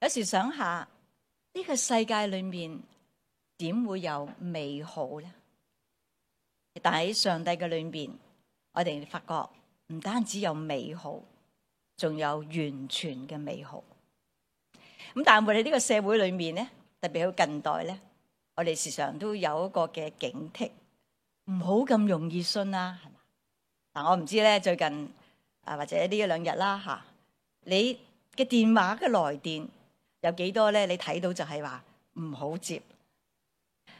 有時想下呢個世界裏面點會有美好呢？但喺上帝嘅裏面，我哋發覺唔單止有美好，仲有完全嘅美好。咁但係我哋呢個社會裏面咧，特別喺近代咧，我哋時常都有一個嘅警惕，唔好咁容易信啦，係嘛？嗱，我唔知咧，最近或者呢一兩日啦嚇，你嘅電話嘅來電有幾多咧？你睇到就係話唔好接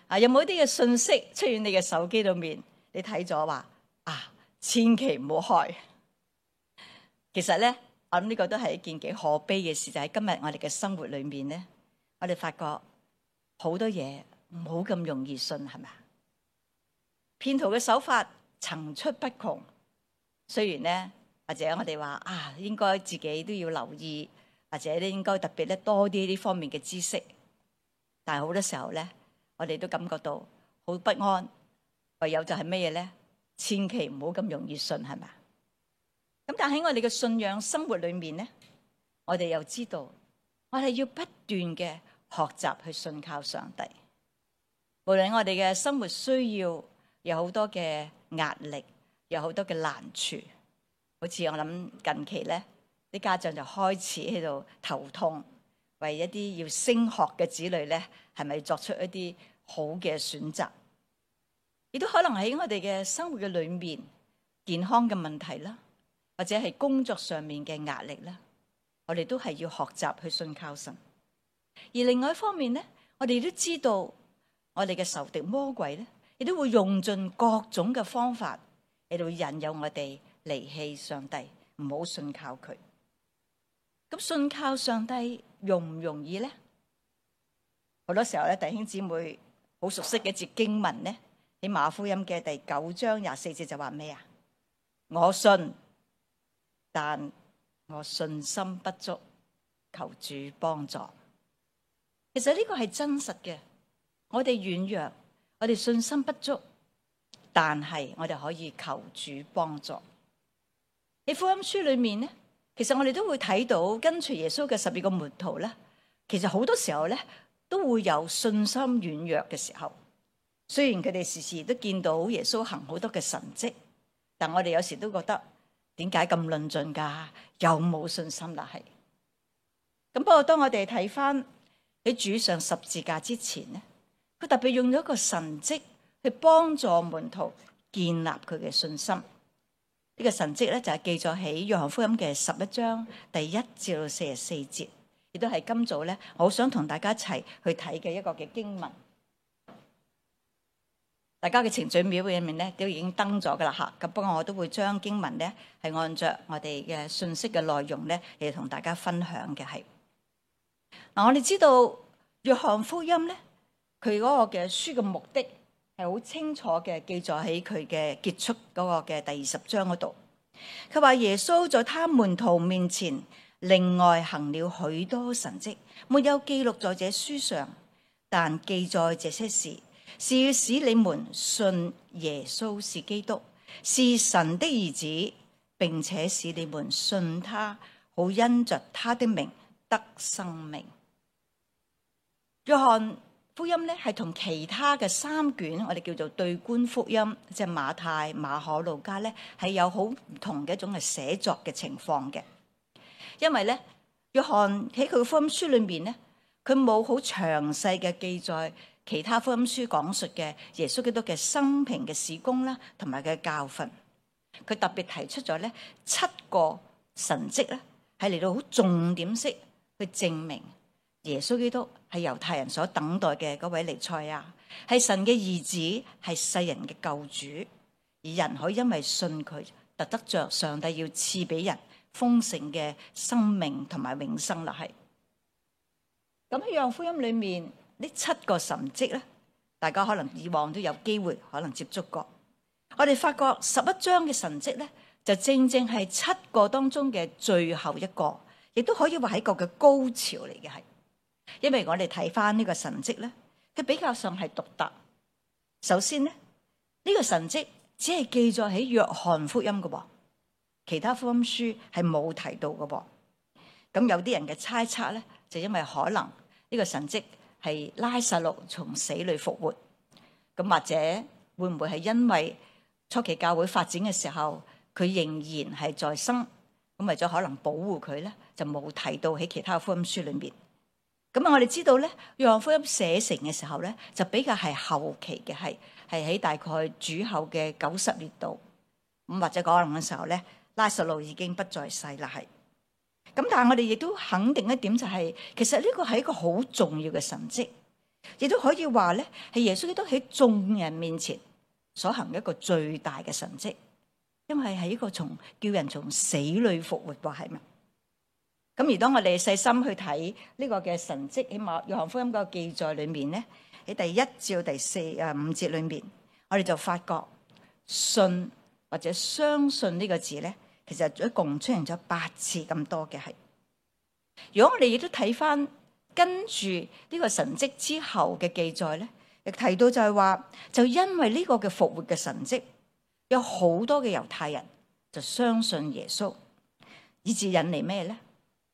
啊！有冇啲嘅信息出現你嘅手機裏面？你睇咗話千祈唔好開。其實咧，我諗呢個都係一件幾可悲嘅事，就係今日我哋嘅生活裏面咧，我哋發覺好多嘢唔好咁容易信，係咪啊？騙徒嘅手法層出不窮。雖然咧，或者我哋話應該自己都要留意，或者咧應該特別咧多啲呢方面嘅知識，但係好多時候咧，我哋都感覺到好不安。唯有就係咩嘢咧？千祈唔好咁容易信，係咪？咁但喺我哋嘅信仰生活裏面咧，我哋又知道，我哋要不斷嘅學習去信靠上帝。無論我哋嘅生活需要有好多嘅壓力，有好多嘅難處，好似我諗近期咧，啲家長就開始喺度頭痛，為一啲要升學嘅子女咧，係咪作出一啲好嘅選擇？亦都可能喺我哋嘅生活嘅裏面，健康嘅問題啦，或者係工作上面嘅壓力啦，我哋都係要學習去信靠神。而另外一方面咧，我哋都知道我哋嘅仇敵魔鬼咧，亦都會用盡各種嘅方法嚟到引誘我哋離棄上帝，唔好信靠佢。咁信靠上帝容唔容易咧？好多時候咧，弟兄姊妹好熟悉嘅一節經文咧，喺馬可福音嘅第9章24節就話咩啊？我信，但我信心不足，求主幫助。其實呢個係真實嘅，我哋軟弱，我哋信心不足，但係我哋可以求主幫助。喺福音書裏面咧，其實我哋都會睇到跟隨耶穌嘅12個門徒咧，其實好多時候咧都會有信心軟弱嘅時候。雖然佢哋時時都見到耶穌行好多嘅神蹟，但我哋有時都覺得點解咁論盡㗎？有冇信心啦？係咁。不過當我哋睇翻喺主上十字架之前咧，佢特別用咗一個神蹟去幫助門徒建立佢嘅信心。呢個神蹟咧就係記載喺約翰福音嘅11章第1至到44節，亦都係今早咧我好想同大家一齊去睇嘅一個嘅經文。大家嘅程序表裏面咧都已經登咗噶啦嚇，咁不過我都會將經文咧係按着我哋嘅信息嘅內容咧嚟同大家分享嘅係。嗱，我哋知道約翰福音咧，佢嗰個嘅書嘅目的係好清楚嘅記載喺佢嘅結束嗰個嘅第20章嗰度。佢話耶穌在他門徒面前另外行了許多神蹟，沒有記錄在這書上，但記載這些事，是要使你們信耶穌是基督，是神的兒子，並且使你們信他，好因着他的名得生命。約翰福音咧係同其他嘅3卷我哋叫做對觀福音，即係馬太、馬可、路加咧係有好唔同嘅一種嘅寫作嘅情況嘅。因為咧約翰喺佢嘅福音書裏面咧，佢冇好詳細嘅記載其他福音書講述嘅耶穌基督嘅生平嘅事工啦，同埋嘅教訓。佢特別提出咗咧7個神蹟咧，係嚟到好重點式去證明耶穌基督係猶太人所等待嘅嗰位彌賽亞，係神嘅兒子，係世人嘅救主，而人可以因為信佢，就得着上帝要賜俾人豐盛嘅生命同埋永生啦。係咁喺約翰福音裏面呢7個神蹟咧，大家可能以往都有機會可能接觸過。我哋發覺11章嘅神蹟咧，就正正係7個當中嘅最後一個，亦都可以話係一個嘅高潮嚟嘅。係因為我哋睇翻呢個神蹟咧，佢比較上係獨特。首先咧，呢個神蹟只係記載喺約翰福音嘅喎，其他福音書係冇提到嘅噃。咁有啲人嘅猜測咧，就因為可能呢個神蹟係拉撒路從死裏復活，咁或者會唔會係因為初期教會發展嘅時候，佢仍然係在生，咁為咗可能保護佢咧，就冇提到喺其他福音書裏面。咁我哋知道咧，約翰福音寫成嘅時候咧，就比較係後期嘅，係喺大概主後嘅90年度，咁或者可能嘅時候咧，拉撒路已經不在世啦，係。咁但係我哋亦都肯定一點就係，其實呢個係一個好重要嘅神蹟，亦都可以話咧係耶穌基督喺眾人面前所行一個最大嘅神蹟，因為係一個叫人從死裏復活，話係咪？咁而當我哋細心去睇呢個嘅神蹟，起碼約翰福音嗰個記載裏面咧，喺第1至到第5節裏面，我哋就發覺信或者相信呢個字咧，其實一共出現咗8次咁多嘅係。如果我哋亦都睇翻跟住呢個神蹟之後嘅記載咧，亦提到就係話，就因為呢個嘅復活嘅神蹟，有好多嘅猶太人就相信耶穌，以致引嚟咩咧？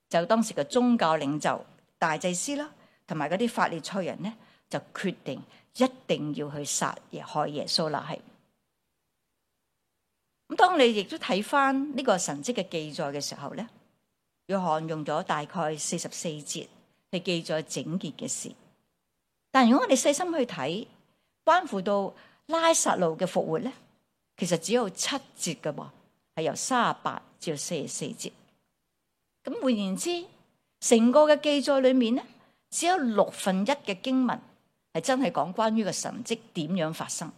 就當時嘅宗教領袖大祭司啦，同埋嗰啲法利賽人咧，就決定一定要去害耶穌啦。係咁，當你亦都睇翻呢個神蹟嘅記載嘅時候咧，約翰用咗大概44節去記載整件嘅事。但如果我哋細心去睇，關乎到拉撒路嘅復活咧，其實只有7節㗎喎，係由38至到44節。咁換言之，成個嘅記載裏面咧，只有1/6嘅經文係真係講關於個神蹟點樣發生，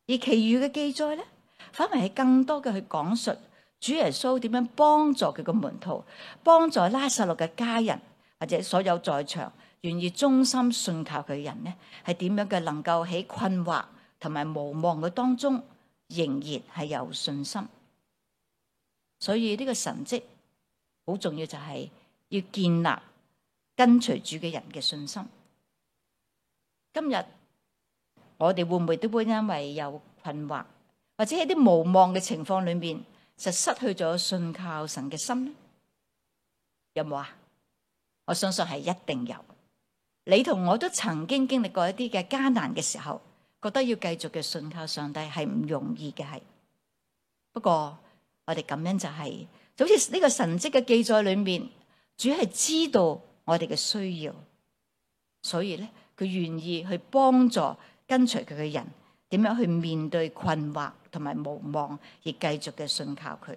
而其餘嘅記載咧，反為係更多嘅去講述主耶穌點樣幫助佢嘅門徒，幫助拉撒路嘅家人，或者所有在場願意忠心信靠佢嘅人咧，係點樣嘅能夠喺困惑同埋無望嘅當中，仍然係有信心。所以呢個神蹟好重要，就係要建立跟隨主嘅人嘅信心。今日我哋會唔會都會因為有困惑，或者喺啲無望嘅情況裏面，就失去咗信靠神嘅心呢？有冇啊？我相信係一定有。你同我都曾經經歷過一啲嘅艱難嘅時候，覺得要繼續嘅信靠上帝係唔容易嘅，係。不過我哋感恩就係，就好似呢個神蹟嘅記載裏面，主係知道我哋嘅需要，所以咧佢願意去幫助跟隨佢嘅人，點樣去面對困惑同埋無望，而繼續嘅信靠佢。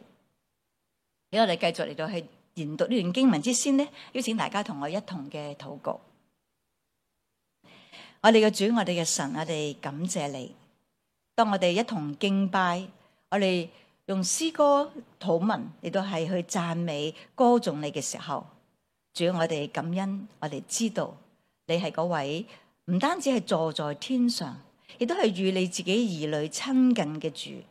喺我哋繼續嚟到去研讀呢段經文之先呢，邀請大家同我一同嘅禱告。我哋嘅主，我哋嘅神，我哋感謝你。當我哋一同敬拜，我哋用詩歌禱文嚟到係去讚美歌頌你嘅時候，主，我哋感恩，我哋知道你係嗰位唔單止係坐在天上，亦都係與你自己兒女親近嘅主。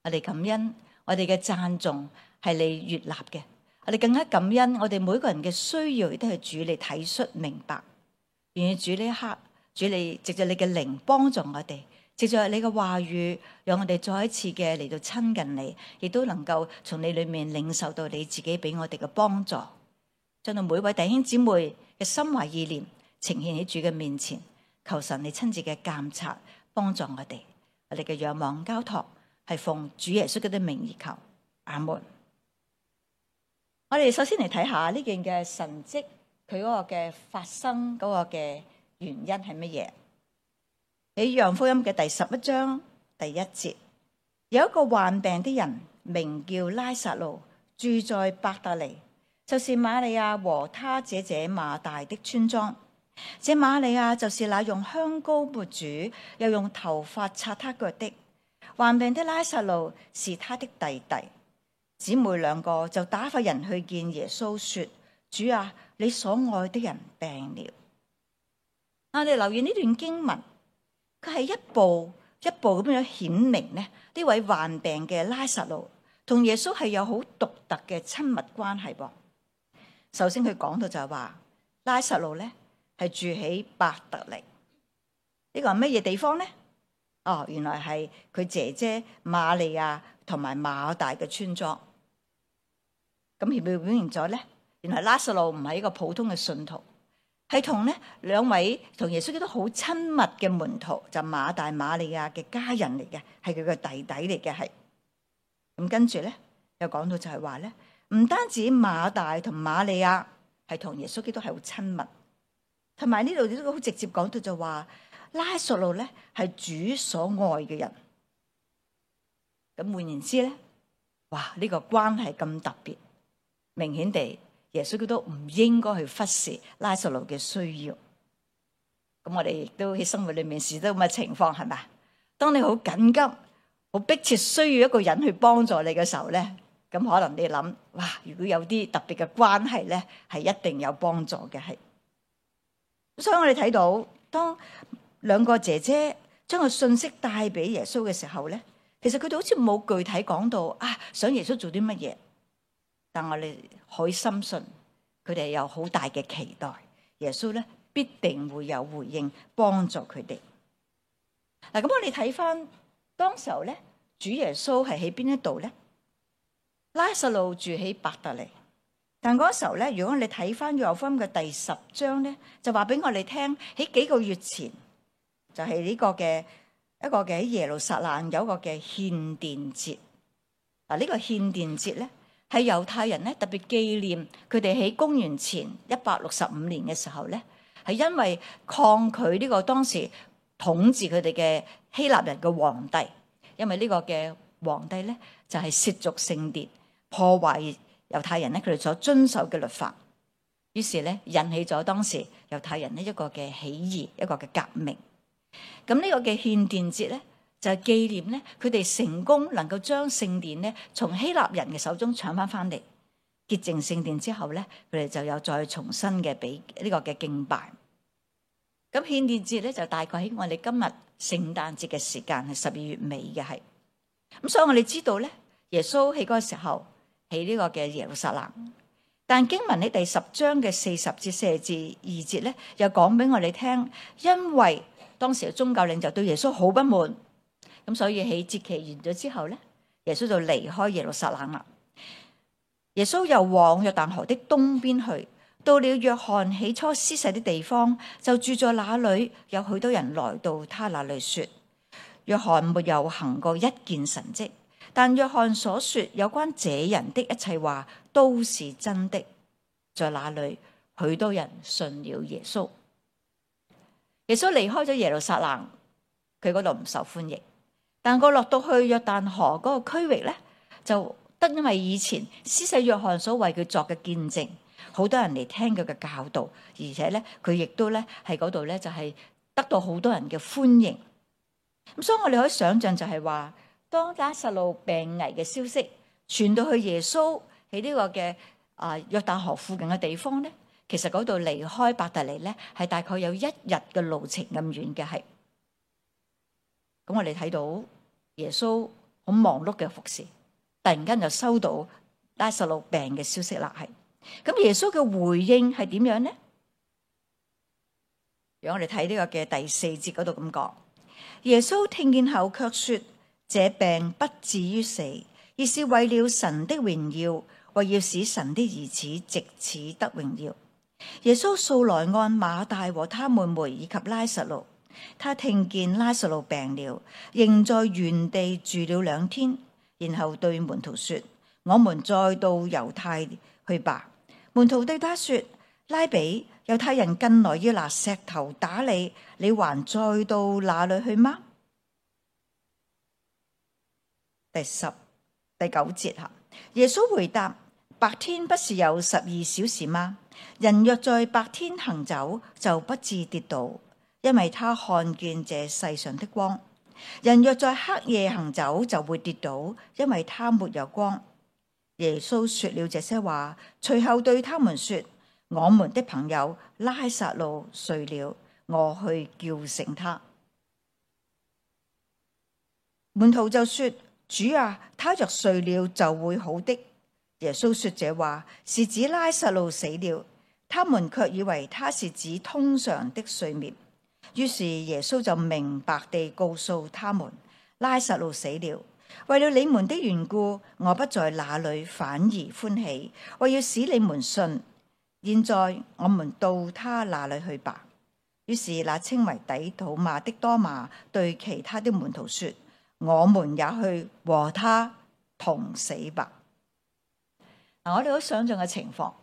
我哋感恩，我哋嘅讚頌係你悅納嘅。我哋更加感恩，我哋每個人嘅需要亦都係主你體恤明白。願意主呢一刻，主你藉着你嘅靈幫助我哋。藉着你嘅話語，讓我哋再一次嘅嚟到親近你，亦都能夠從你裏面領受到你自己俾我哋嘅幫助，將到每位弟兄姊妹嘅心懷意念呈現喺主嘅面前，求神你親自嘅監察幫助我哋。我哋嘅仰望交託係奉主耶穌嘅名而求，阿門。我哋首先嚟睇下呢件嘅神蹟，佢嗰個嘅發生嗰個嘅原因係乜嘢？喺約翰福音嘅第11章第1節，有一個患病的人，名叫拉撒路，住在伯特利，就是瑪利亞和他姐姐馬大的村莊。這瑪利亞就是那用香膏抹主，又用頭髮擦他腳的。患病的拉撒路是他的弟弟。姊妹兩個就打發人去見耶穌，說：主啊，你所愛的人病了。我哋留意呢段經文。佢係一步一步咁樣顯明咧，呢位患病嘅拉撒路同耶穌係有好獨特嘅親密關係噃。首先佢講到就係話，拉撒路咧係住喺伯特利，呢個係乜嘢地方咧？哦，原來係佢姐姐瑪利亞同埋馬大嘅村莊。咁表現咗咧，原來拉撒路唔係一個普通嘅信徒，係同呢兩位同耶穌基督好親密嘅門徒，就馬大馬利亞嘅家人嚟嘅，係佢嘅弟弟嚟嘅，係。咁跟住咧又講到就係話咧，唔單止馬大同馬利亞係同耶穌基督係好親密，同埋呢度都好直接講到就話拉撒路咧係主所愛嘅人。咁換言之咧，哇！呢個關係咁特別，明顯地耶穌基督唔應該去忽視拉撒路嘅需要。咁我哋亦都喺生活裏面試到咁嘅情況，係咪？當你好緊急、好迫切需要一個人去幫助你嘅時候咧，咁可能你諗，哇！如果有啲特別嘅關係咧，係一定有幫助嘅，係。所以我哋睇到，當兩個姐姐將個信息帶俾耶穌嘅時候咧，其實佢哋好似冇具體講到想耶穌做啲乜嘢，但我哋可以深信佢哋有好大嘅期待，耶穌咧必定會有回應幫助佢哋。嗱，咁我哋睇翻當時候咧，主耶穌係喺邊一度咧？拉撒路住喺伯特利，但嗰時候咧，如果我哋睇翻約翰福音嘅第10章咧，就話俾我哋聽喺幾個月前就係呢個嘅。一個嘅喺耶路撒冷有一個嘅獻殿節。嗱，呢個獻殿節咧係猶太人咧特別紀念佢哋喺公元前165年嘅時候咧，係因為抗拒呢個當時統治佢哋嘅希臘人嘅皇帝，因為呢個嘅皇帝咧就係褻瀆聖殿，破壞猶太人咧佢哋所遵守嘅律法，於是咧引起咗當時猶太人呢一個嘅起義，一個嘅革命。咁呢個嘅獻殿節咧，就係紀念咧佢哋成功能夠將聖殿咧從希臘人嘅手中搶翻嚟，潔淨聖殿之後咧，佢哋就有再重新嘅俾呢個嘅敬拜。咁獻殿節咧就大概喺我哋今日聖誕節嘅時間係12月尾嘅，係。咁所以我哋知道咧，耶穌喺嗰個時候喺呢個嘅耶路撒冷，但經文喺第10章嘅40至42節咧，又講俾我哋聽，因為當時嘅宗教領袖對耶穌好不滿，咁所以喺節期完咗之後咧，耶穌就離開耶路撒冷啦。耶穌又往約旦河的東邊去，到了約翰起初施洗的地方，就住在那裏。有許多人來到他那裏說，約翰沒有行過一件神蹟，但約翰所說有關這人的一切話都是真的。在那裏，許多人信了耶穌。耶穌離開咗耶路撒冷，佢嗰度唔受歡迎。但佢落到去約旦河嗰個區域咧，就得因為以前施洗約翰所為佢作嘅見證，好多人嚟聽佢嘅教導，而且咧佢亦都咧喺嗰度咧就係得到好多人嘅歡迎。咁所以我哋可以想象就係話，當拉撒路病危嘅消息傳到去耶穌喺呢個嘅約旦河附近嘅地方咧。其實嗰度離開伯特利咧，係大概有1日嘅路程咁遠嘅，係。咁我哋睇到耶穌好忙碌嘅服侍，突然間就收到拉撒路病嘅消息啦，係。咁耶穌嘅回應係點樣呢？讓我哋睇呢個嘅第4節嗰度咁講，耶穌聽見後卻說：這病不至於死，而是為了神的榮耀，為要使神的兒子藉此得榮耀。耶穌素來按馬大和他妹妹以及拉撒路，他聽見拉撒路病了，仍在原地住了2天，然後對門徒說：我們再到猶太去吧。門徒對他說：拉比，猶太人近來要拿石頭打你，你還再到那裏去嗎？第9節吓，耶穌回答：白天不是有12小時嗎？人若在白天行走，就不致跌倒，因為他看見這世上的光。人若在黑夜行走，就會跌倒，因為他沒有光。耶穌說了這些話，隨後對他們說：我們的朋友拉撒路睡了，我去叫醒他。門徒就說：主啊，他若睡了就會好的。耶穌說這話是指拉撒路死了，他們卻以為他是指通常的睡眠。於是耶穌就明白地告訴他們：拉撒路死了，為了你們的緣故，我不在那裏，反而歡喜，為要使你們信。現在我們到他那裏去吧。於是那稱為底土馬的多馬對其他的門徒說：我們也去和他同死吧。我哋好想象嘅情況，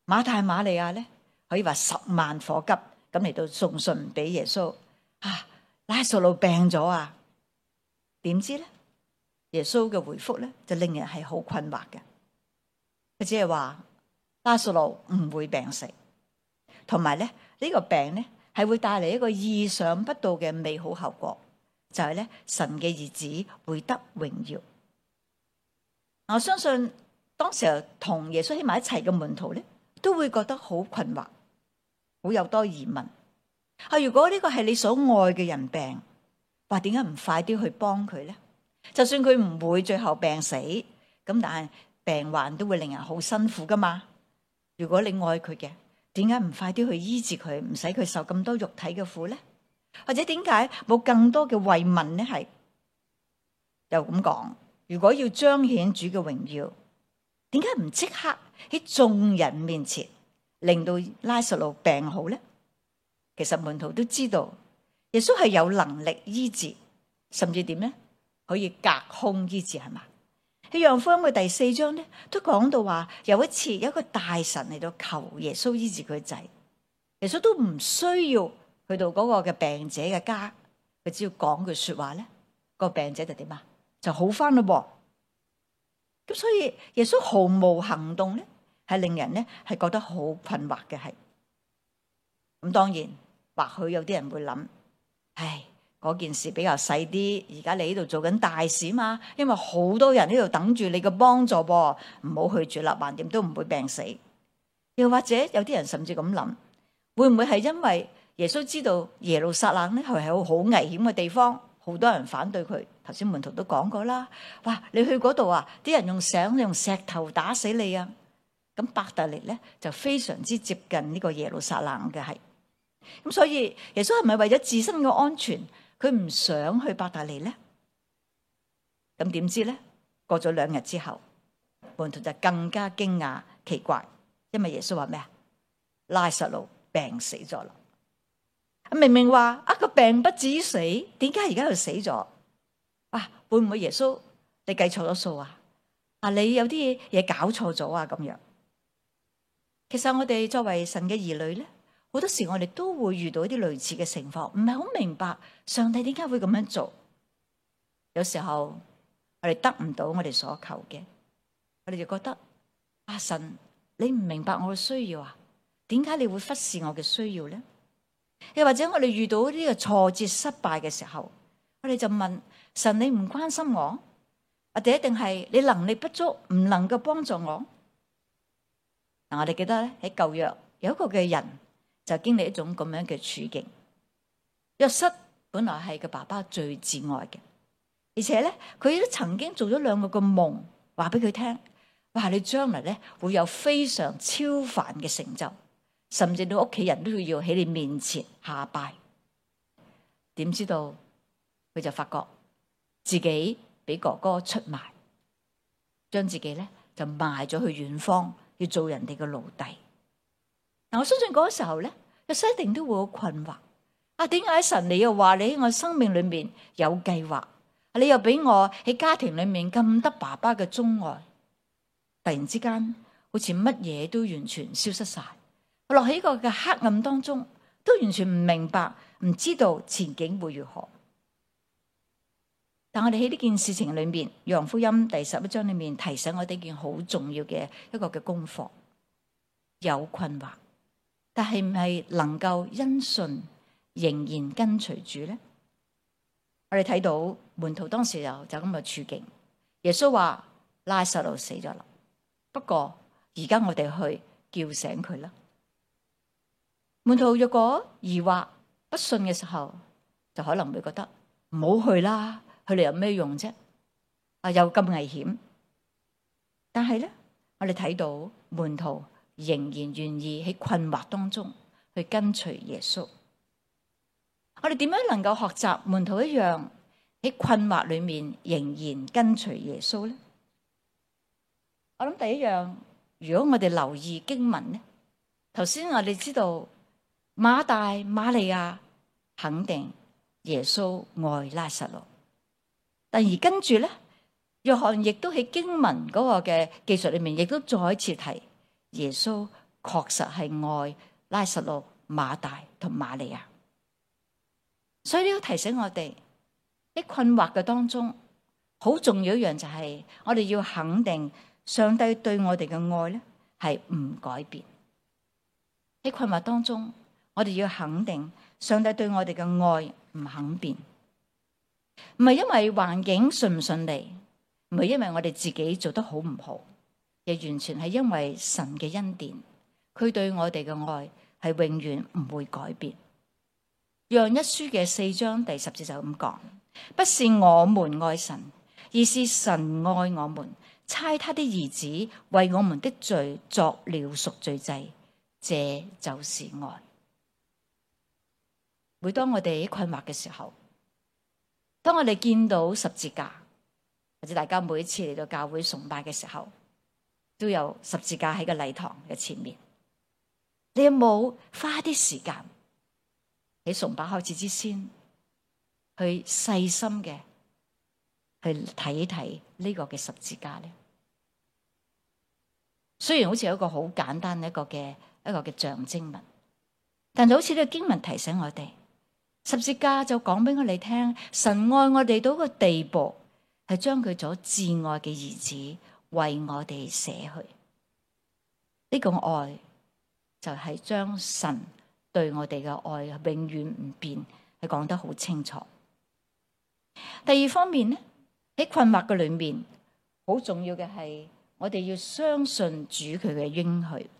馬大馬利亞咧可以話十萬火急咁嚟到送信俾耶穌。拉撒路病咗啊！點知咧，耶穌嘅回覆咧就令人係好困惑嘅。佢只係話拉撒路唔會病死，同埋咧呢個病咧係會帶嚟一個意想不到嘅美好後果，就係咧神嘅兒子會得榮耀。我相信當時候同耶穌喺埋一齊嘅門徒咧，都會覺得好困惑，好有多疑問。如果呢個係你所愛嘅人病，話點解唔快啲去幫佢咧？就算佢唔會最後病死，咁但係病患都會令人好辛苦噶嘛。如果你愛佢嘅，點解唔快啲去醫治佢，唔使佢受咁多肉體嘅苦咧？或者點解冇更多嘅慰問咧？係又咁講，如果要彰顯主嘅榮耀，點解唔即刻喺眾人面前令到拉撒路病好咧？其實門徒都知道耶穌係有能力醫治，甚至點咧可以隔空醫治，係嘛？喺約翰福音嘅第4章咧都講到話，有一次有一個大臣嚟到求耶穌醫治佢仔，耶穌都唔需要去到嗰個嘅病者嘅家，佢只要講句說話咧，個病者就點啊？就好翻咯。咁所以耶穌毫無行動咧，係令人咧係覺得好困惑嘅。係咁，當然或許有啲人會諗，嗰件事比較細啲，而家你喺度做緊大事嘛，因為好多人喺度等住你嘅幫助噃，唔好去住啦，橫掂都唔會病死。又或者有啲人甚至咁諗，會唔會係因為耶穌知道耶路撒冷咧係好危險嘅地方，好多人反對佢？頭先門徒都講過啦，哇！你去嗰度啊，啲人用石頭打死你啊！咁伯特利咧就非常之接近呢個耶路撒冷嘅。係咁，所以耶穌係咪為咗自身嘅安全，佢唔想去伯特利咧？咁點知咧？過咗2日之後，門徒就更加驚訝奇怪，因為耶穌話咩啊？拉撒路病死咗啦！明明話個病不至於死，點解而家又死咗？會唔會耶穌你計錯咗數啊？你有啲嘢搞錯咗啊？咁樣，其實我哋作為神嘅兒女咧，好多時我哋都會遇到一啲類似嘅情況，唔係好明白上帝點解會咁樣做。有時候我哋得唔到我哋所求嘅，我哋就覺得神，你唔明白我嘅需要啊？點解你會忽視我嘅需要咧？又或者我哋遇到呢個挫折失敗嘅時候，我哋就問神，你唔關心我，或者一定係你能力不足，唔能夠幫助我？我哋記得咧，喺舊約有一個嘅人就經歷一種咁樣嘅處境。約瑟本來係個爸爸最至愛嘅，而且咧佢都曾經做咗2個嘅夢，話俾佢聽，你將來咧會有非常超凡嘅成就，甚至到屋企人都要喺你面前下拜。點知道佢就發覺自己俾哥哥出賣，將自己咧就賣咗去遠方，要做人哋嘅奴隸。我相信嗰個時候咧，約瑟一定都會好困惑。點解神你又話你喺我生命裏面有計劃，你又俾我喺家庭裏面咁得爸爸嘅鍾愛，突然之間好似乜嘢都完全消失晒，我落喺個嘅黑暗當中，都完全唔明白，唔知道前景會如何。但我哋喺呢件事情裏面，約翰福音第11章裏面提醒我哋一件好重要嘅一個嘅功課：有困惑，但係唔係能夠因信仍然跟隨主咧？我哋睇到門徒當時就咁嘅處境。耶穌話拉撒路死咗啦，不過而家我哋去叫醒佢啦。門徒若果疑惑不信嘅時候，就可能會覺得唔好去啦。佢哋有咩用啫？又咁危險。但係咧，我哋睇到門徒仍然願意喺困惑當中去跟隨耶穌。我哋點樣能夠學習門徒一樣喺困惑裏面仍然跟隨耶穌咧？我諗第一樣，如果我哋留意經文咧，頭先我哋知道馬大、馬利亞肯定耶穌愛拉撒路，但而跟住咧，約翰亦都喺經文嗰個嘅記述裏面，亦都再一次提耶穌確實係愛拉撒路、馬大同馬利亞。所以呢個提醒我哋喺困惑嘅當中，好重要一樣就係我哋要肯定上帝對我哋嘅愛咧係唔改變。喺困惑當中，我哋要肯定上帝對我哋嘅愛唔肯變，唔係因為環境順唔順利，唔係因為我哋自己做得好唔好，亦完全係因為神嘅恩典，佢對我哋嘅愛係永遠唔會改變。約翰一書嘅4章第10節就咁講：不是我們愛神，而是神愛我們，差他的兒子為我們的罪作了贖罪祭。這就是愛。每當我哋困惑嘅時候，當我哋見到十字架，或者大家每一次嚟到教會崇拜嘅時候，都有十字架喺個禮堂嘅前面。你有冇花啲時間喺崇拜開始之前，去細心嘅去睇一睇呢個嘅十字架呢？雖然好似有一個好簡單一個嘅象徵物，但就好似呢個經文提醒我哋，十字架就講俾我哋聽，神愛我哋到個地步，係將佢所至愛嘅兒子為我哋捨去。呢個愛就係將神對我哋嘅愛永遠唔變，係講得好清楚。第二方面呢，喺困惑嘅裏面，好重要嘅係我哋要相信主佢嘅應許。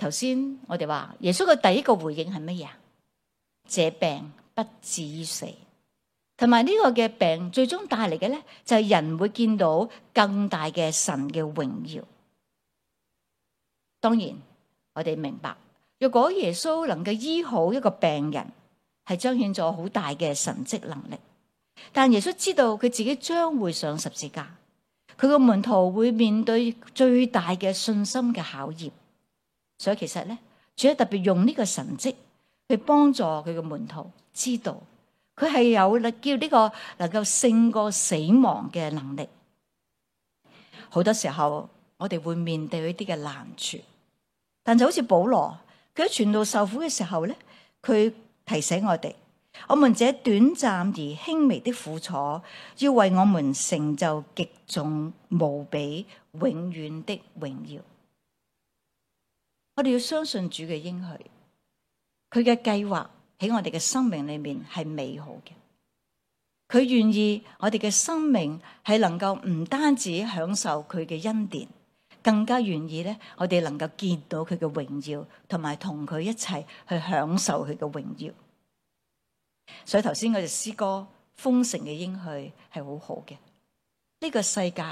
頭先我哋話耶穌嘅第一個回應係乜嘢？這病不至於死，同埋呢個嘅病最終帶嚟嘅咧，就係人會見到更大嘅神嘅榮耀。當然，我哋明白，如果耶穌能夠醫好一個病人，係彰顯咗好大嘅神蹟能力。但耶穌知道佢自己將會上十字架，佢個門徒會面對最大嘅信心嘅考驗。所以其實咧，主要特別用呢個神蹟去幫助佢嘅門徒知道，佢係有叫呢個能夠勝過死亡嘅能力。好多時候我哋會面對呢啲嘅難處，但就好似保羅，佢喺傳道受苦嘅時候咧，佢提醒我哋，我們這短暫而輕微的苦楚，要為我們成就極重無比永遠的榮耀。我哋要相信主嘅應許，佢嘅計劃喺我哋嘅生命裏面係美好嘅。佢願意我哋嘅生命係能夠唔單止享受佢嘅恩典，更加願意咧，我哋能夠見到佢嘅榮耀，同埋同佢一齊去享受佢嘅榮耀。所以頭先嗰隻詩歌豐盛嘅應許係好好嘅。呢個世界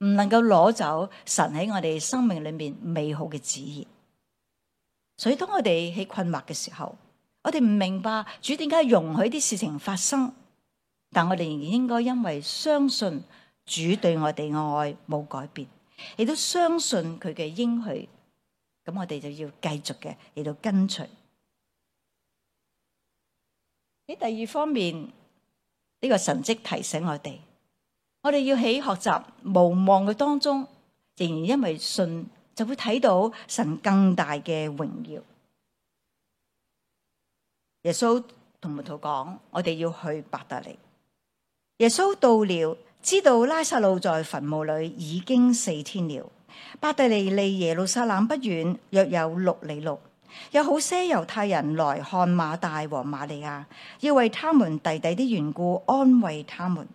唔能夠攞走神喺我哋生命裏面美好嘅旨意。所以當我哋喺困惑嘅時候，我哋唔明白主點解容許啲事情發生，但我哋仍然應該因為相信主對我哋嘅愛冇改變，亦都相信佢嘅應許，咁我哋就要繼續嘅嚟到跟隨。喺第二方面，呢個神蹟提醒我哋要喺學習無望嘅當中，仍然因為信，就會睇到神更大嘅榮耀。耶穌同門徒講，我哋要去伯特利。耶穌到了，知道拉撒路在墳墓裏已經4天了。伯特利離耶路撒冷不遠，約有6里路。有好些猶太人來看馬大和瑪利亞，要為他們弟弟的緣故安慰他們。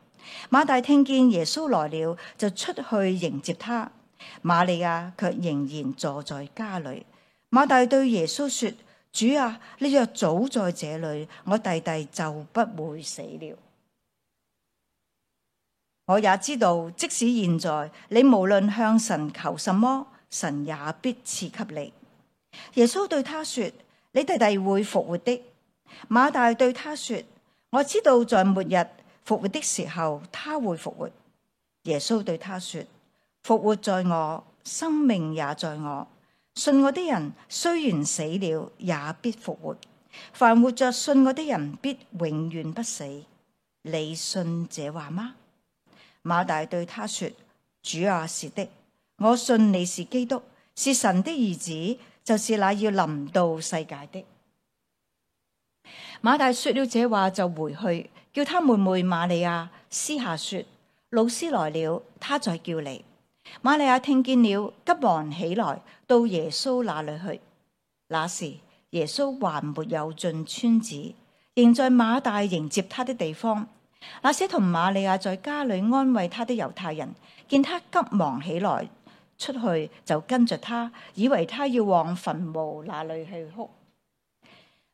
馬大聽見耶穌來了，就出去迎接他。瑪利亞卻仍然坐在家裏。馬大對耶穌說：主啊，你若早在這裏，我弟弟就不會死了。我也知道，即使現在，你無論向神求什麼，神也必賜給你。耶穌對他說：你弟弟會復活的。馬大對他說：我知道在末日復活的時候，他會復活。耶穌對他說：復活在我，生命也在我。信我的人雖然死了，也必復活。凡活着信我的人，必永遠不死。你信這話嗎？馬大對他說：主啊，是的，我信你是基督，是神的兒子，就是那要臨到世界的。馬大說了這話，就回去，叫他妹妹瑪利亞私下說：老師來了，他在叫你。瑪利亞聽見了，急忙起來到耶穌那裏去。那時耶穌還沒有進村子，仍在馬大迎接他的地方。那些同瑪利亞在家裏安慰他的猶太人，見他急忙起來出去，就跟着他，以為他要往墳墓那裏去哭。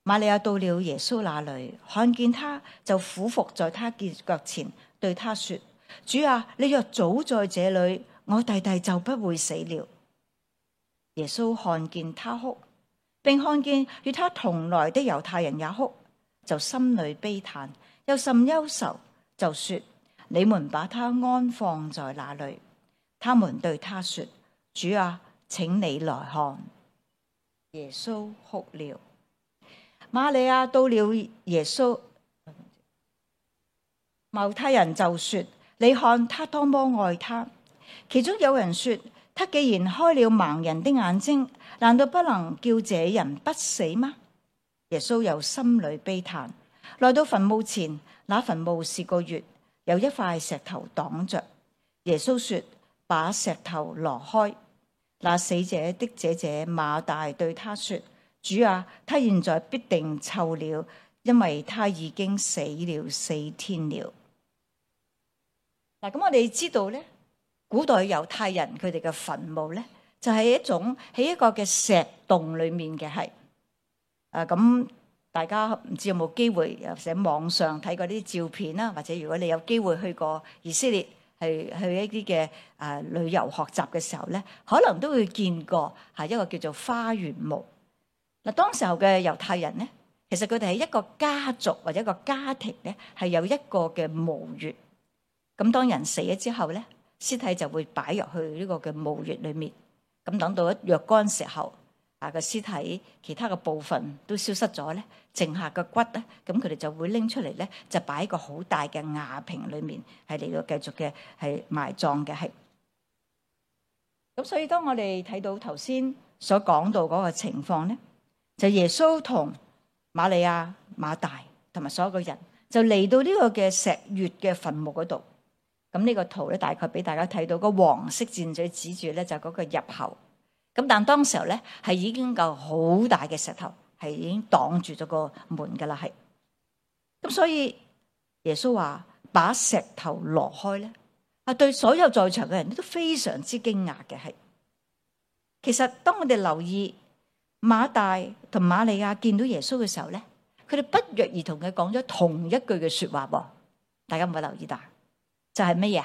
瑪利亞到了耶穌那裏，看見他，就俯伏在他腳前，對他說：主啊，你若早在這裏，我弟弟就不會死了。耶穌看見他哭，並看見與他同來的猶太人也哭，就心裏悲嘆，又甚憂愁，就說：你們把他安放在哪裏？他們對他說：主啊，請你來看。耶穌哭了。瑪利亞到了耶穌，猶太人就說：你看他多麼愛他。其中有人說：他既然開了盲人的眼睛，難道不能叫這人不死嗎？耶穌又心裏悲嘆，來到墳墓前，那墳墓是個穴，有一塊石頭擋着。耶穌說：把石頭挪開。那死者的姐姐馬大對他說：主啊，他現在必定臭了，因為他已經死了4天了。嗱，咁我哋知道咧，古代猶太人佢哋嘅墳墓咧，就係一種喺一個嘅石洞裏面嘅係。咁大家唔知有冇機會又喺網上睇過啲照片啦，或者如果你有機會去過以色列，係去一啲嘅旅遊學習嘅時候咧，可能都會見過係一個叫做花園墓。嗱，當時候嘅猶太人咧，其實佢哋係一個家族或者一個家庭咧，係有一個嘅墓穴。咁當人死咗之後咧，屍體就會擺入去呢個嘅墓穴裏面。咁等到若干時候，個屍體其他嘅部分都消失咗咧，剩下嘅骨咧，咁佢哋就會拎出嚟咧，就擺喺個好大嘅瓦瓶裏面，係嚟到繼續嘅係埋葬嘅係。咁所以當我哋睇到頭先所講到嗰個情況咧，就耶穌同瑪利亞、馬大同埋所有嘅人，就嚟到呢個嘅石穴嘅墳墓嗰度。咁呢個圖咧，大概俾大家睇到個黃色箭嘴指住咧，就嗰個入口。咁但當時候咧，係已經夠好大嘅石頭，係已經擋住咗個門噶啦，係。咁所以耶穌話把石頭挪開咧，對所有在場嘅人都非常之驚訝嘅係。其實當我哋留意馬大同瑪利亞見到耶穌嘅時候咧，佢哋不約而同嘅講咗同一句嘅說話噃，大家有冇留意到？就係乜嘢？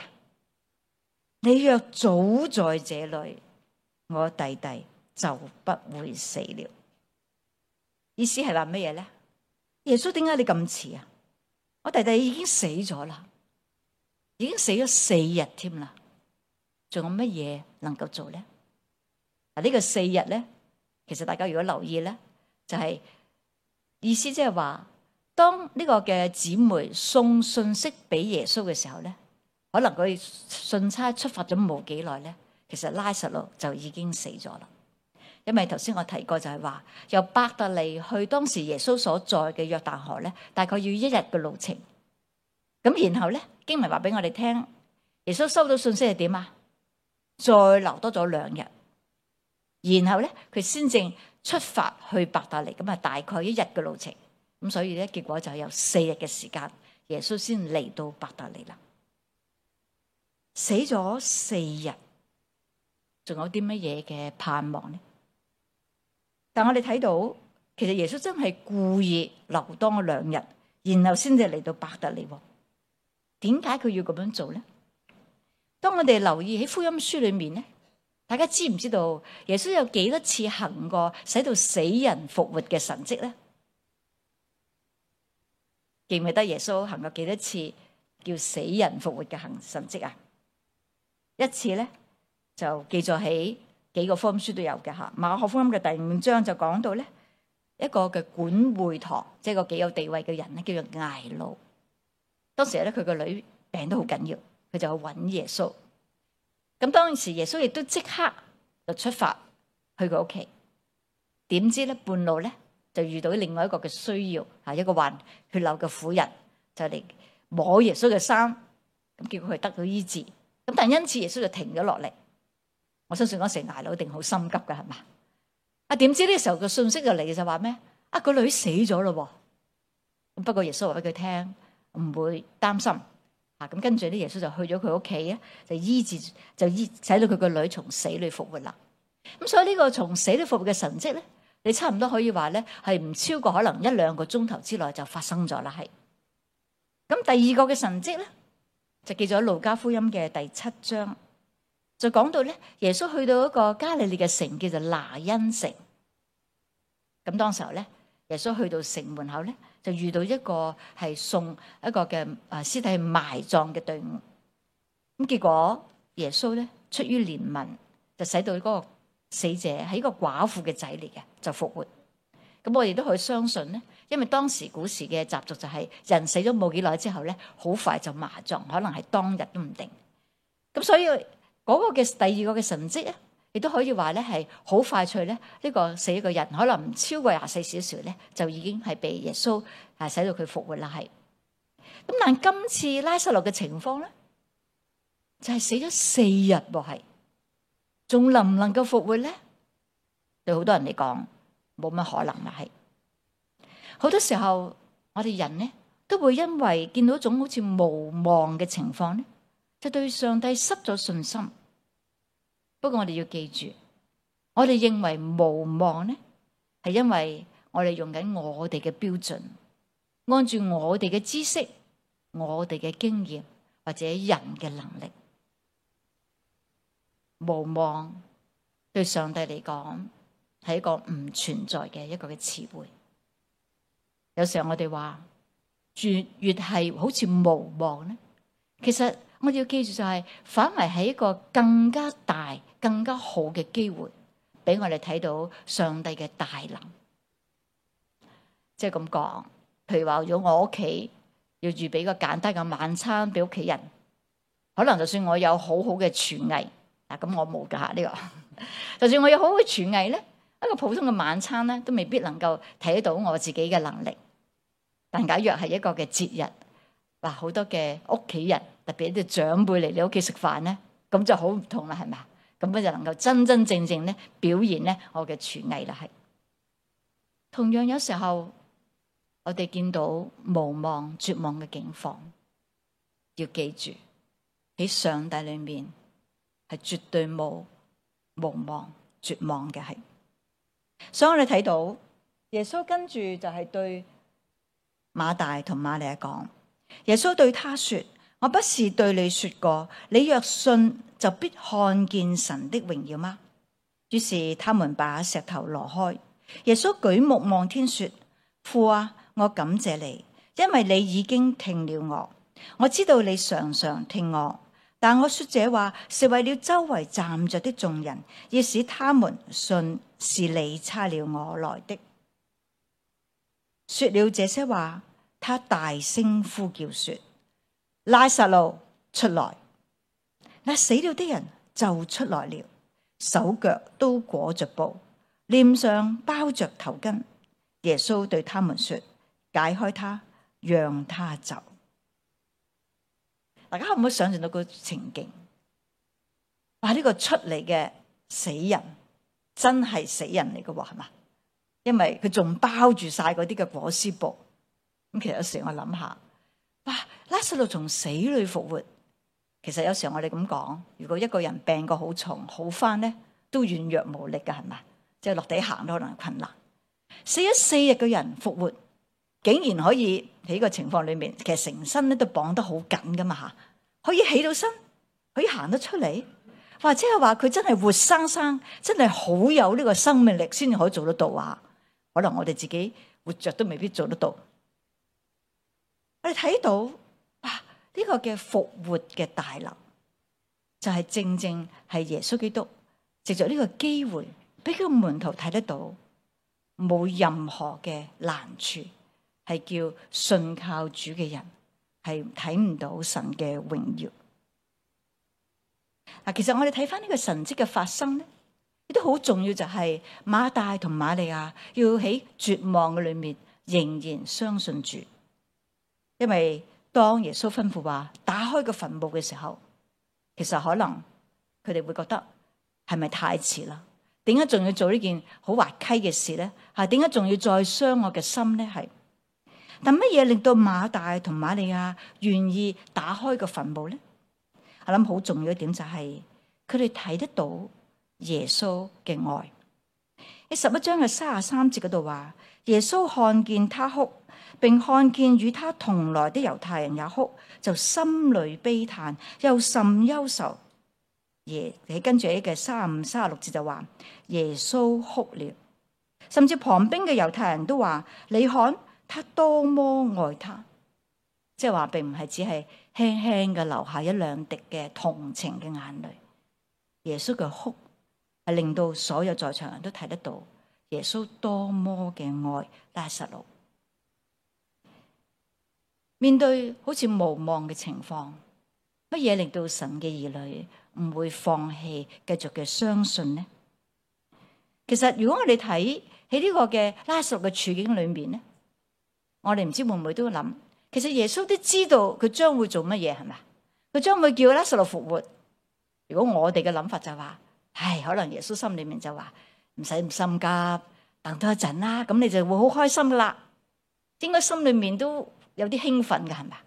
你若早在這裏，我弟弟就不會死了。意思係話乜嘢咧？耶穌，點解你咁遲啊？我弟弟已經死咗啦，已經死咗4日添啦，仲有乜嘢能夠做咧？呢個4日咧，其實大家如果留意咧，就係意思即係話，當呢個嘅姊妹送信息俾耶穌嘅時候咧，可能佢信差出發咗冇幾耐咧，其實拉撒路就已經死咗啦。因為頭先我提過就係話，由伯特利去當時耶穌所在嘅約旦河咧，大概要1日嘅路程。咁然後咧，經文話俾我哋聽，耶穌收到信息係點啊？再留多咗2日，然後咧佢先正出發去伯特利，咁啊大概1日嘅路程。咁所以咧，結果就係有4日嘅時間，耶穌先嚟到伯特利啦。死咗4日，仲有啲乜嘢嘅盼望呢？但我哋睇到，其實耶穌真係故意留多2日，然後先至嚟到伯特利。點解佢要咁樣做咧？當我哋留意喺福音書裏面咧，大家知唔知道耶穌有幾多次行過使到死人復活嘅神蹟咧？記唔記得耶穌行過幾多次叫死人復活嘅神蹟啊？一次咧就記載喺幾個福音書都有嘅吓。馬可福音嘅第5章就講到咧，一個嘅管會堂，即係個幾有地位嘅人咧，叫做睚魯。當時咧佢個女病得好緊要，佢就去揾耶穌。咁當時耶穌亦都即刻就出發去佢屋企。點知咧半路咧就遇到另外一個嘅需要，一個患血流嘅婦人就嚟摸耶穌嘅衫，咁結果佢得到醫治。咁但係因此耶穌就停咗落嚟。我相信嗰時睚魯一定好心急㗎，係嘛？點知呢個時候個信息就嚟就話咩？個女死咗咯。咁不過耶穌話俾佢聽，唔會擔心。咁跟住咧，耶穌就去咗佢屋企啊，就醫治，使到佢個女從死裏復活啦。咁所以呢個從死裏復活嘅神蹟咧，你差唔多可以話咧係唔超過可能1-2個鐘頭之內就發生咗啦。係。咁第二個嘅神蹟咧，就記咗路加福音嘅第7章，就講到咧耶穌去到一個加利利嘅城叫做拿因城。咁當時候咧，耶穌去到城門口咧，就遇到一個係送一個嘅屍體埋葬嘅隊伍。咁結果耶穌咧出於憐憫，就使到嗰個死者係一個寡婦嘅仔嚟嘅，就復活。咁我哋都可以相信咧，因為當時古時嘅習俗就係人死咗冇幾耐之後咧，好快就埋葬，可能係當日都唔定。咁所以嗰個嘅第二個嘅神蹟咧，亦都可以話咧係好快脆咧，呢個死一個人可能唔超過24小時咧，就已經係被耶穌使到佢復活啦。係。咁但今次拉撒路嘅情況咧，就係死咗4日喎，係仲能唔能夠復活咧？對好多人嚟講，冇乜可能啦。係好多時候，我哋人咧都會因為見到一種好似無望嘅情況咧，就對上帝失咗信心。不過我哋要記住，我哋認為無望咧，係因為我哋用緊我哋嘅標準，按住我哋嘅知識、我哋嘅經驗或者人嘅能力。無望對上帝嚟講係一個唔存在嘅一個嘅詞彙。有時候我哋話越係好似無望咧，其實我哋要記住就係反為係一個更加大、更加好嘅機會，俾我哋睇到上帝嘅大能。即係咁講，譬如話如果我屋企要預備個簡單嘅晚餐俾屋企人，可能就算我有好好嘅廚藝，咁我冇噶吓呢個。就算我有好好嘅廚藝咧，一個普通嘅晚餐咧，都未必能夠睇到我自己嘅能力。但假若係一個嘅節日，哇，好多嘅屋企人，特別啲長輩嚟你屋企食飯咧，咁就好唔同啦，係咪？咁就能夠真真正正咧表現咧我嘅廚藝啦。係同樣有時候我哋見到無望、絕望嘅境況，要記住喺上帝裏面係絕對冇無望、絕望嘅。係，所以我哋睇到耶穌跟住就係對馬大同馬利亞講，耶穌對他說：我不是對你說過，你若信就必看見神的榮耀嗎？於是他們把石頭挪開。耶穌舉目望天說：父啊，我感謝你，因為你已經聽了我。我知道你常常聽我，但我說這話是為了周圍站着的眾人，要使他們信是你差了我來的。說了這些話，他大聲呼叫說：拉撒路出來！那死了的人就出來了，手腳都裹着布，臉上包着頭巾。耶穌對他們說：解開他，讓他走。大家可唔可以想象到個情景？哇！呢個出嚟嘅死人真係死人嚟嘅喎，係嘛？因為佢仲包住晒嗰啲嘅裹屍布。咁其實有時我諗下，哇！拉撒路從死裏復活。其實有時候我哋咁講，如果一個人病過好重，好翻咧都軟弱無力㗎，係咪？即係落地行都可能係困難。死咗4日嘅人復活，竟然可以喺呢個情況裏面，其實成身咧都綁得好緊噶嘛吓，可以起到身，可以行得出嚟，或者係話佢真係活生生，真係好有呢個生命力，先至可以做得到啊！可能我哋自己活着都未必做得到。我哋睇到哇，呢個嘅復活嘅大能，就係正正係耶穌基督藉着呢個機會，俾佢個門徒睇得到，冇任何嘅難處，係叫信靠主嘅人係睇唔到神嘅榮耀。嗱，其實我哋睇翻呢個神蹟嘅發生咧，亦都好重要，就係馬大同瑪利亞要喺絕望嘅裏面仍然相信主，因為當耶穌吩咐話打開個墳墓嘅時候，其實可能佢哋會覺得係咪太遲啦？點解仲要做呢件好滑稽嘅事咧？係點解仲要再傷我嘅心咧？係，但乜嘢令到馬大同瑪利亞願意打開個墳墓咧？我諗好重要一點就係佢哋睇得到耶穌嘅愛。喺11章嘅33節嗰度話，耶穌看見他哭，並看見與他同來的猶太人也哭，就心裏悲嘆，又甚憂愁。跟住嘅35、36節就話耶穌哭了，甚至旁邊嘅猶太人都話：你看他多麼愛他。即係話並唔係只係輕輕嘅流下一兩滴嘅同情嘅眼淚，耶穌嘅哭係令到所有在場人都睇得到耶穌多麼嘅愛拉撒路。面對好似無望嘅情況，乜嘢令到神嘅兒女唔會放棄，繼續嘅相信呢？其實如果我哋睇喺呢個嘅拉撒路嘅處境裏面呢，我哋唔知會唔會都諗，其實耶穌都知道佢將會做乜嘢，係咪？佢將會叫拉撒路復活。如果我哋嘅諗法就話，可能耶穌心裏面就話唔使咁心急，等多一陣啦，咁你就會好開心噶啦。應該心裏面都有啲興奮嘅，係咪？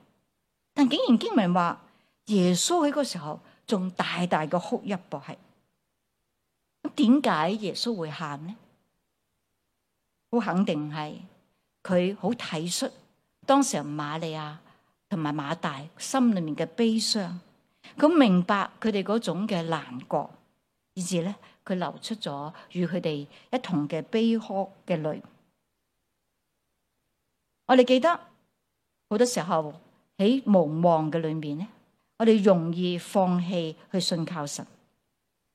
但竟然經文話耶穌喺嗰時候仲大大嘅哭泣噃，係咁點解耶穌會喊呢？好肯定係佢好體恤當時瑪利亞同埋馬大心裏面嘅悲傷，佢明白佢哋嗰種嘅難過，以至咧佢流出咗與佢哋一同嘅悲哭嘅淚。我哋記得好多時候喺無望嘅裏面咧，我哋容易放棄去信靠神。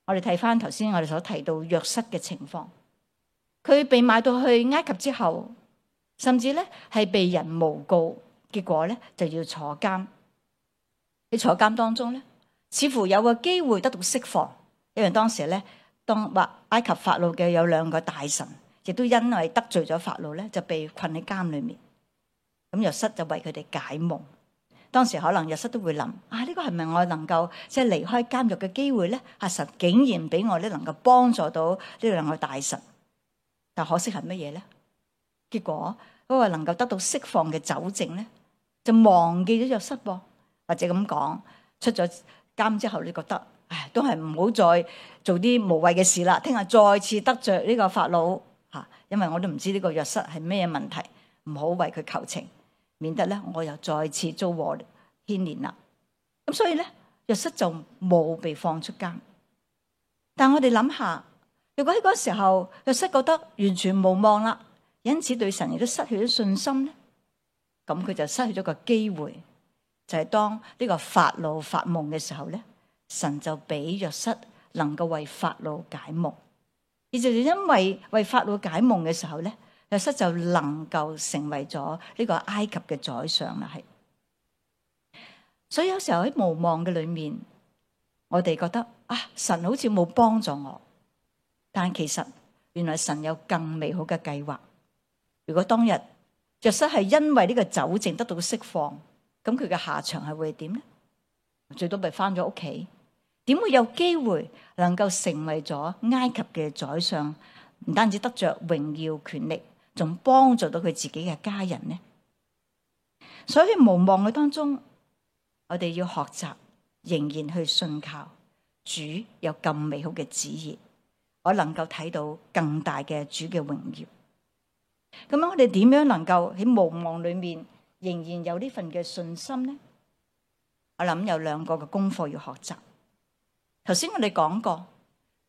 我哋睇翻頭先我哋所提到約瑟嘅情況，佢被賣到去埃及之後，甚至咧係被人誣告，結果咧就要坐監。喺坐監當中咧，似乎有個機會得到釋放，因為當時咧，當埃及法老嘅有2個大臣，亦都因為得罪咗法老咧，就被困喺監裏面。咁約瑟就為佢哋解夢。當時可能約瑟都會諗：呢個係咪我能夠即係離開監獄嘅機會咧？神竟然俾我咧能夠幫助到呢2個大臣。但可惜係乜嘢咧？結果嗰個能夠得到釋放嘅酒政咧，就忘記咗約瑟噃。或者咁講，出咗監之後，你覺得都係唔好再做啲無謂嘅事啦。聽日再次得罪呢個法老嚇，因為我都唔知呢個約瑟係咩問題，唔好為佢求情，免得咧我又再次遭禍牽連啦。咁所以咧，約瑟就冇被放出監。但我哋諗下，如果喺嗰時候約瑟覺得完全無望啦，因此對神亦都失去咗信心咧，咁佢就失去咗個機會。就係當呢個法老發夢嘅時候咧，神就俾約瑟能夠為法老解夢，而就因為法老解夢嘅時候咧，約瑟就能夠成為咗呢個埃及嘅宰相啦。係，所以有時候喺無望嘅裏面，我哋覺得神好似冇幫助我，但其實原來神有更美好嘅計劃。如果當日約瑟係因為呢個酒政得到釋放，咁佢嘅下場係會點咧？最多咪翻咗屋企，點會有機會能夠成為咗埃及嘅宰相？唔單止得着榮耀權力，仲幫助到佢自己嘅家人呢？所以喺無望嘅當中，我哋要學習仍然去信靠主，有咁美好嘅旨意，我能夠睇到更大嘅主嘅榮耀。咁樣我哋點樣能夠喺無望裏面仍然有呢份嘅信心呢？我諗有2個嘅功課要學習。頭先我哋講過，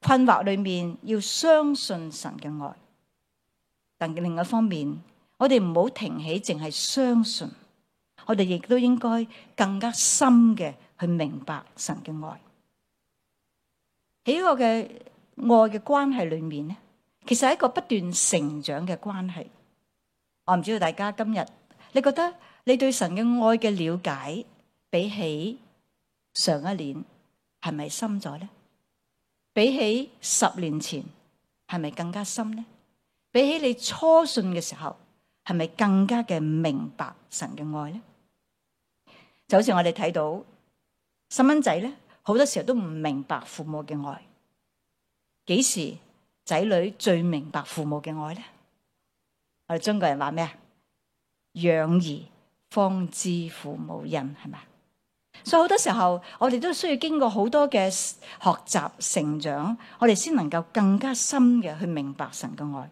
困惑裏面要相信神嘅愛，但另一方面，我哋唔好停起淨係相信，我哋亦都應該更加深嘅去明白神嘅愛。喺呢個嘅愛嘅關係裏面咧，其實係一個不斷成長嘅關係。我唔知道大家今日你覺得你對神嘅愛嘅了解比起上一年係咪深咗咧？比起10年前係咪更加深咧？比起你初信嘅時候係咪更加嘅明白神嘅愛咧？就好似我哋睇到細蚊仔咧，好多時候都唔明白父母嘅愛。幾時仔女最明白父母嘅愛咧？我哋中國人話咩啊？養兒方知父母恩，係咪？所以好多時候我哋都需要經過好多嘅學習成長，我哋先能夠更加深嘅去明白神嘅愛，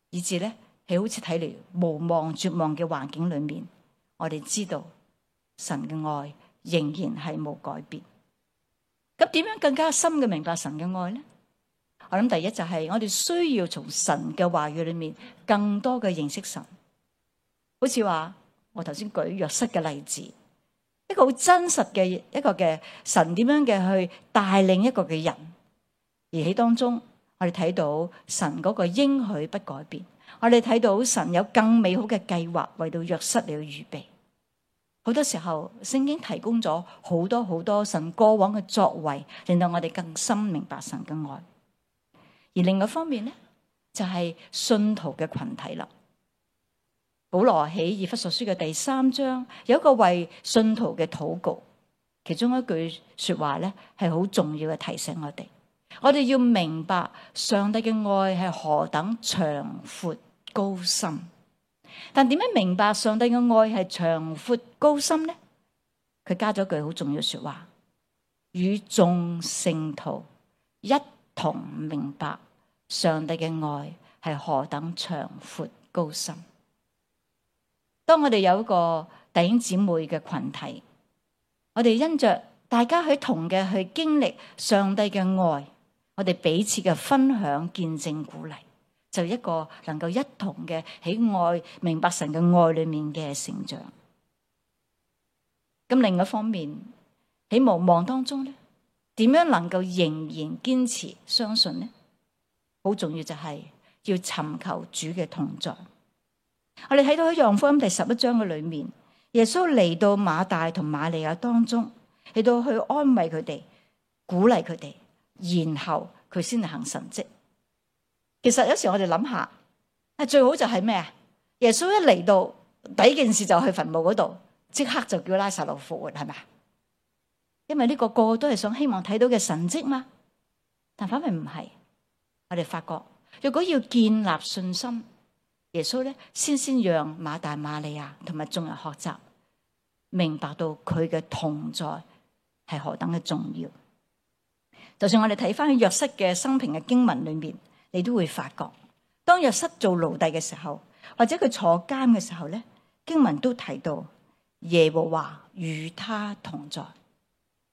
以至咧係好似睇嚟無望絕望嘅環境裏面，我哋知道神嘅愛仍然係冇改變。咁點樣更加深嘅明白神嘅愛咧？我諗第一就係我哋需要從神嘅話語裏面更多嘅認識神。好似話我頭先舉約瑟嘅例子，一個好真實嘅一個嘅神點樣嘅去帶領一個嘅人，而喺當中我哋睇到神嗰個應許不改變，我哋睇到神有更美好嘅計劃為到約瑟嚟預備。好多時候聖經提供咗好多好多神過往嘅作為，令到我哋更深明白神嘅愛。而另外一方面咧，就係信徒嘅群體啦。保羅喺以弗所書嘅第3章有一個為信徒嘅禱告，其中一句說話咧係好重要嘅提醒我哋要明白上帝嘅愛係何等長闊高深。但點樣明白上帝嘅愛係長闊高深咧？佢加咗句好重要嘅說話，與眾聖徒一同明白上帝嘅愛係何等長闊高深。當我哋有一個弟兄姊妹嘅群體，我哋因着大家去同嘅去經歷上帝嘅愛，我哋彼此嘅分享、見證、鼓勵，就一個能夠一同嘅喺愛明白神嘅愛裏面嘅成長。咁另一方面喺無望當中咧，點樣能夠仍然堅持相信呢？好重要就係要尋求主嘅同在。我哋睇到喺約翰福音第11章嘅裏面，耶穌嚟到馬大同瑪利亞當中，嚟到去安慰佢哋、鼓勵佢哋，然後佢先嚟行神蹟。其實有時我哋諗下，最好就係咩啊？耶穌一嚟到，第一件事就去墳墓嗰度，即刻就叫拉撒路復活，係咪？因為呢個個都係想希望睇到嘅神蹟嘛。但反而唔係，我哋發覺，如果要建立信心，耶穌咧先讓馬大馬利亞同埋眾人學習，明白到佢嘅同在係何等嘅重要。就算我哋睇翻約瑟嘅生平嘅經文裏面，你都會發覺，當約瑟做奴隸嘅時候，或者佢坐監嘅時候咧，經文都提到耶和華與他同在。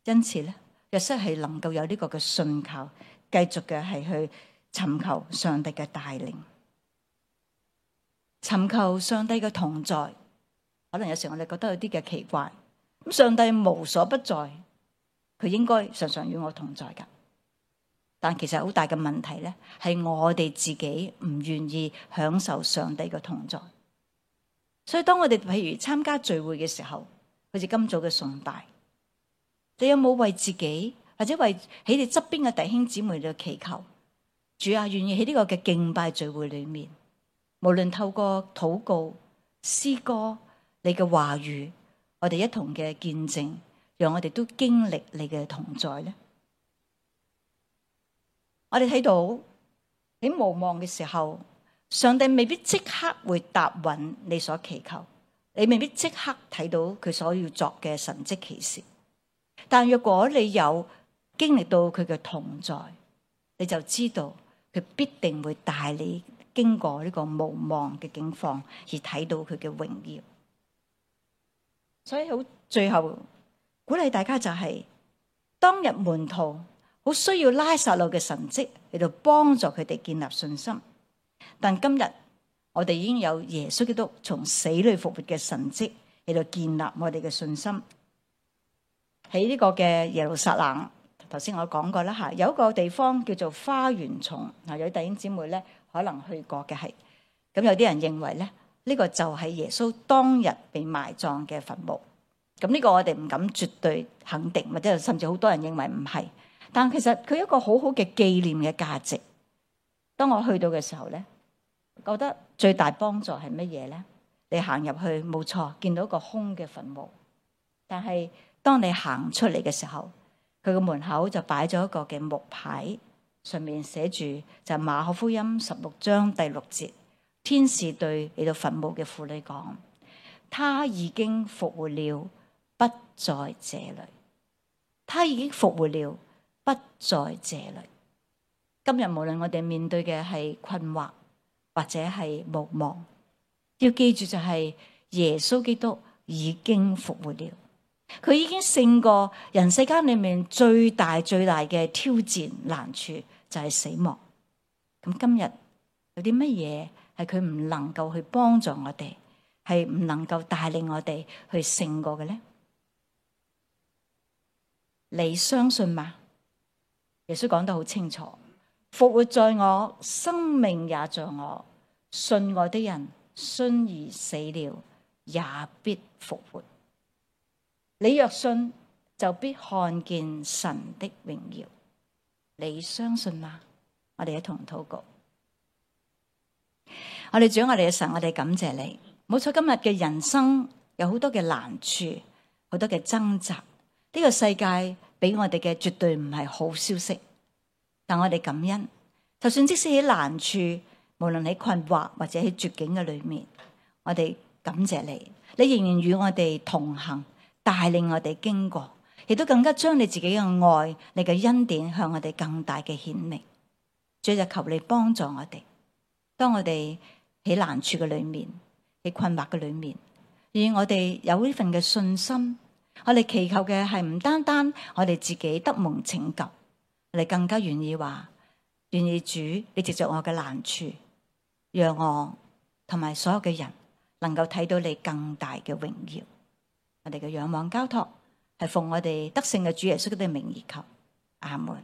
因此咧，約瑟係能夠有呢個嘅信靠，繼續嘅係去尋求上帝嘅帶領。尋求上帝嘅同在，可能有時我哋覺得有啲嘅奇怪。咁上帝無所不在，佢應該常常與我同在噶。但其實好大嘅問題咧，係我哋自己唔願意享受上帝嘅同在。所以當我哋譬如參加聚會嘅時候，好似今早嘅崇拜，你有冇為自己或者為喺你側邊嘅弟兄姊妹嚟祈求？主啊，願意喺呢個嘅敬拜聚會裏面，無論透過禱告、詩歌、你嘅話語，我哋一同嘅見證，讓我哋都經歷你嘅同在咧。我哋睇到喺無望嘅時候，上帝未必即刻會答允你所祈求，你未必即刻睇到佢所要作嘅神蹟奇事。但若果你有經歷到佢嘅同在，你就知道佢必定會帶你經過呢個無望嘅境況，而睇到佢嘅榮耀。所以好，最後鼓勵大家就係，當日門徒好需要拉撒路嘅神蹟嚟到幫助佢哋建立信心，但今日我哋已經有耶穌基督從死裏復活嘅神蹟嚟到建立我哋嘅信心。喺呢個嘅耶路撒冷頭先我講過啦嚇，有一個地方叫做花園叢，有弟兄姊妹咧可能去過嘅係，咁有啲人認為咧呢個就係耶穌當日被埋葬嘅墳墓。咁呢個我哋唔敢絕對肯定，或者甚至好多人認為唔係，但其實佢一個好好嘅紀念嘅價值。當我去到嘅時候咧，覺得最大幫助係乜嘢咧？你行入去冇錯，見到一個空嘅墳墓，但係當你行出嚟嘅時候，佢個門口就擺咗一個嘅木牌，上面寫住就係馬可福音16章第6節，天使對嚟到墳墓嘅婦女講：他已經復活了，不在這裏。他已經復活了，不在這裏。今日無論我哋面對嘅係困惑或者係無望，要記住就係耶穌基督已經復活了，佢已經勝過人世間裏面最大嘅挑戰難處，就係死亡。咁今日有啲乜嘢係佢唔能夠去幫助我哋，係唔能夠帶領我哋去勝過嘅呢？你相信嗎？耶穌講得好清楚，復活在我，生命也在我，信我的人雖然死了，也必復活。你若信，就必看見神的榮耀。你相信嗎？我哋一同禱告。我哋主，我哋嘅神，我哋感謝你。冇錯，今日嘅人生有好多嘅難處，好多嘅掙扎。呢個世界俾我哋嘅絕對唔係好消息，但我哋感恩。就算即使喺難處，無論喺困惑或者喺絕境嘅裏面，我哋感謝你，你仍然與我哋同行，帶領我哋經過，亦都更加將你自己嘅愛、你嘅恩典向我哋更大嘅顯明。主就求你幫助我哋，當我哋喺難處嘅裏面，喺困惑嘅裏面，而我哋有呢份嘅信心，我哋祈求嘅係唔單單我哋自己得蒙拯救，我哋更加願意話，願意主你藉着我嘅難處，讓我同埋所有嘅人能夠睇到你更大嘅榮耀。我哋嘅仰望交託係奉我哋得勝嘅主耶穌嘅名而求，阿門。